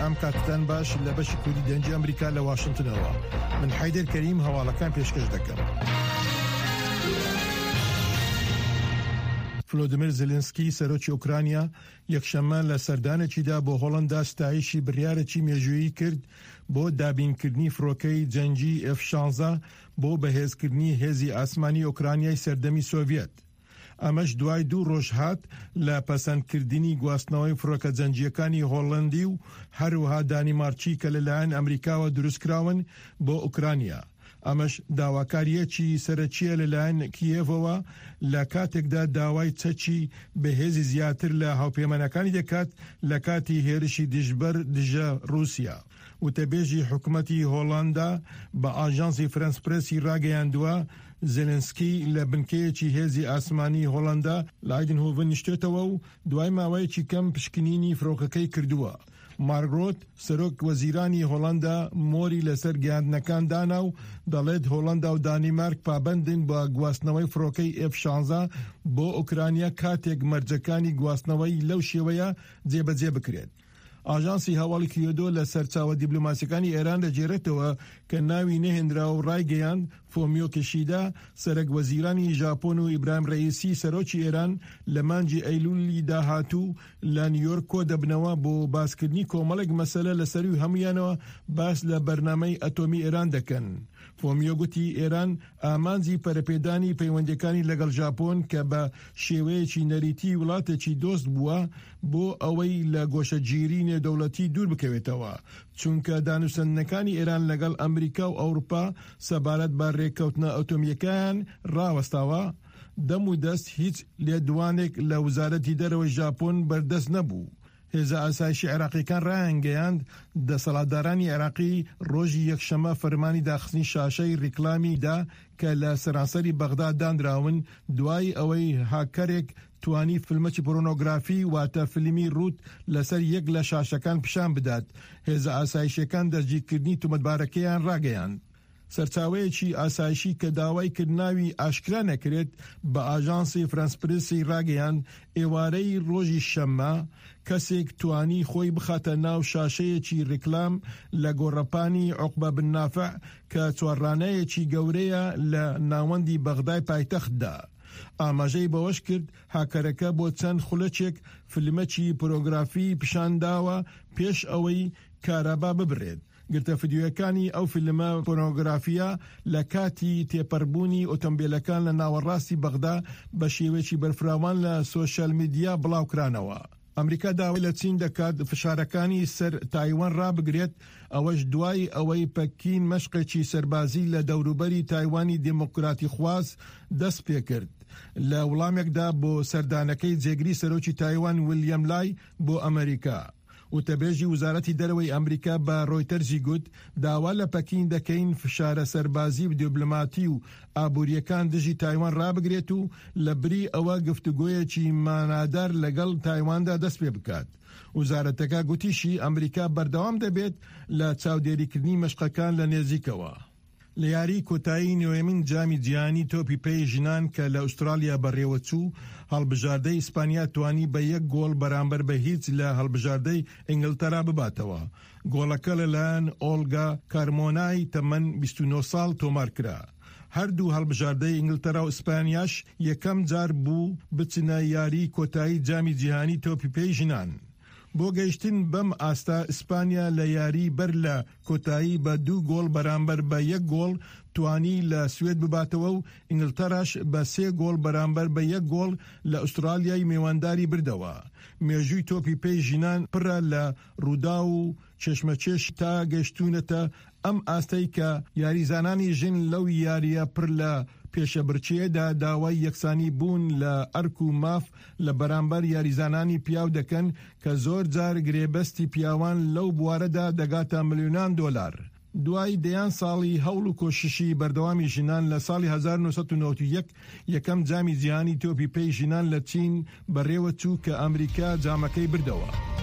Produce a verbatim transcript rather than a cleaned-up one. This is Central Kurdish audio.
ئەم کاتتان باش لە بەشی کوردی دەنگی ئەمریکا لە واشنتنەوە. من حەیدەر کەریم هەواڵەکان پێشکەش دەکەم. فلۆدیمیر زێلێنسکی سەرۆکی ئۆکرانیا یەکشەممە لە سەردانێکیدا بۆ هۆڵندا ستایشی بڕیارێکی مێژوویی کرد بۆ دابینکردنی فڕۆکەی جەنگی ئێف شانزە بۆ بەهێزکردنی هێزی ئاسمانی ئۆکرانیای سەردەمی سۆڤیەت. ئەمەش دوای دوو ڕۆژ هات لە پەسەندکردنی گواستنەوەی فڕۆکە جەنگییەکانی هۆڵەندی و هەروەها دانیمارکی کە لەلایەن ئەمریکاوە دروستکراون بۆ ئۆکرانیا. ئەمەش داواکاریەکی سەرەکیە لەلایەن کیێڤەوە لە کاتێکدا داوای چەکی بەهێزی زیاتر لە هاوپەیمانەکانی دەکات لە کاتی هێرشی دژبەر دژە ڕووسیا. وتەبێژی حکومەتی هۆڵندا بە ئاژانسی فرەنس پرێسی ڕاگەیاندووە زێلێنسکی لە بنکەیەکی هێزی ئاسمانی هۆڵندا لە ئایدنهۆڤن نیشتێتەوە و دوای ماوەیەکی کەم پشکنینی فڕۆکەکەی کردووە. مارک ڕۆت سەرۆک وەزیرانی هۆڵندا مۆری لەسەر گەیاندنەکان دانا و دەڵێت هۆڵندا و دانیمارک پابەندن بە گواستنەوەی فڕۆکەی ئێف شانزە بۆ ئۆکرانیا کاتێک مەرجەکانی گواستنەوەی لەو شێوەیە جێبەجێ بکرێت. ئاژانسی هەواڵی کیۆدۆ لە سەرچاوە دیبلۆماسیەکانی ئێران دەگێڕێتەوە کە ناوی نەهێنرا و ڕایگەیاند فۆمیۆ کیشیدا سەرەک وەزیرانی ژاپۆن و ئیبراهیم ڕەئیسی سەرۆکی ئێران لە مانگی ئەیلولی داهاتوو لە نیویۆرک کۆ دەبنەوە بۆ باسکردنی کۆمەڵێک مەسەلە لە سەروی هەمویانەوە باس لە بەرنامەی ئەتۆمی ئێران دەکەن. فۆمیۆ گوتی ئێران ئامانجی پەرەپێدانی پەیوەندیەکانی لەگەڵ ژاپۆن کە بە شێوەیەکی نەریتی وڵاتێکی دۆست بووە بۆ ئەوەی لە گۆشەگیری نێودەوڵەتی دوور بکەوێتەوە، چونکە دانوسەندنەکانی ئێران لەگەڵ ئەمریکا و ئەوروپا سەبارەت بە ڕێککەوتنە ئەتۆمیەکان ڕاوەستاوە. دەم و دەست هیچ لێدوانێک لە وەزارەتی دەرەوەی ژاپۆن بەردەست نەبوو. هێزە ئاسایشی عێراقیەکان ڕایانگەیاند دەسەڵاتدارانی عێراقی ڕۆژی یەکشەممە فەرمانی داخستنی شاشەی ڕیکلامی دا کە لە سەرانسەری بەغدا دانراون دوای ئەوەی هاکەرێک توانی فیلمەکی پۆرنۆگرافی واتە فیلمی ڕووت لەسەر یەک لە شاشەکان پیشان بدات. هێزە ئاسایشیەکان دەستگیرکردنی تومەتبارەکەیان ڕاگەیاند. سەرچاوەیەکی ئاسایشی کە داوای کرد ناوی ئاشکرا نەکرێت بە ئاژانسی فرانس پرسی ڕاگەیاند ئێوارەی ڕۆژی شەممە کەسێک توانی خۆی بخاتە ناو شاشەیەکی ڕیکلام لە گۆڕەپانی عوقبە بن نافع کە چوارڕانەیەکی گەورەیە لە ناوەندی بەغدای پایتەختدا. ئاماژەی بەوەش کرد هاکەرەکە بۆ چەند خولەکێک فیلمەکی پۆرنۆگرافی پیشانداوە پێش ئەوەی کارەبا ببرێت. گرتە فیدیۆیەکانی ئەو فیلمە پۆرنۆگرافیە لە کاتی تێپەربوونی ئۆتۆمبیلەکان لە ناوەڕاستی بەغدا بە شێوەیەکی بەرفراوان لە سۆشیال میدیا بڵاوکرانەوە. ئەمریکا داوای لە چین دەکات فشارەکانی سەر تایوان ڕابگرێت، ئەوەش دوای ئەوەی پەکین مەشقێکی سەربازی لە دەوروبەری تایوانی دێموکراتی خواز دەست پێکرد لە وڵامێکدا بۆ سەردانەکەی جێگری سەرۆکی تایوان ویلیام لای بۆ ئەمریکا. وتەبێژی وەزارەتی دەرەوەی ئەمریکا بە ڕۆیتەرزی گوت داوا لە پەکین دەکەین فشارە سەربازی و دیبلۆماتی و ئابووریەکان دژی تایوان ڕابگرێت و لە بری ئەوە گفتوگۆیەکی مانادار لەگەڵ تایواندا دەست پێ بکات. وەزارەتەکە گوتیشی ئەمریکا بەردەوام دەبێت لە چاودێریکردنی مەشقەکان لە نێزیکەوە. لە یاری کۆتایی نوێمین جامی جیهانی تۆپی پێی ژنان کە لە ئوسترالیا بەڕێوەچوو، هەڵبژاردەی ئیسپانیا توانی بە یەک گۆڵ بەرامبەر بە هیچ لە هەڵبژاردەی ئینگلتەرا بباتەوە. گۆڵەکە لەلایەن ئۆلگا کارمۆنای تەمەن بیست و نۆ ساڵ تۆمار کرا. هەردوو هەڵبژاردەی ئینگلتەرا و ئیسپانیاش یەکەم جار بوو بچنە یاری کۆتایی جامی جیهانی تۆپی پێی ژنان. بۆ گەیشتن بەم ئاستا ئیسپانیا لە یاری بەر لە کۆتایی بە دوو گۆڵ بەرامبەر بە یەک گۆڵ توانی لە سوێد بباتەوە و ئینگلتەراش بە سێ گۆڵ بەرامبەر بە یەک گۆڵ لە ئوسترالیای میوانداری بردەوە. مێژووی تۆپی پێی ژنان پڕە لە ڕوودا و چێشمەچێش تا گەشتونەتە ئەم ئاستەی کە یاریزانانی ژن لەو یاریە پڕ لە پێشەبرچەیەدا داوای یەکسانی بوون لە ئەرک و ماف لە بەرامبەر یاریزانانی پیاو دەکەن کە زۆر جار گرێبەستی پیاوان لەو بوارەدا دەگاتە ملیۆنان دۆلار. دوای دەیان ساڵی هەوڵ و کۆششی بەردەوامی ژنان لە ساڵی هەزار و نۆ سەد و نەوەد و یەک یەکەم جامی جیهانی تۆپی پێی ژنان لە چین بەڕێوە چوو کە ئەمریکا جامەکەی بردەوە.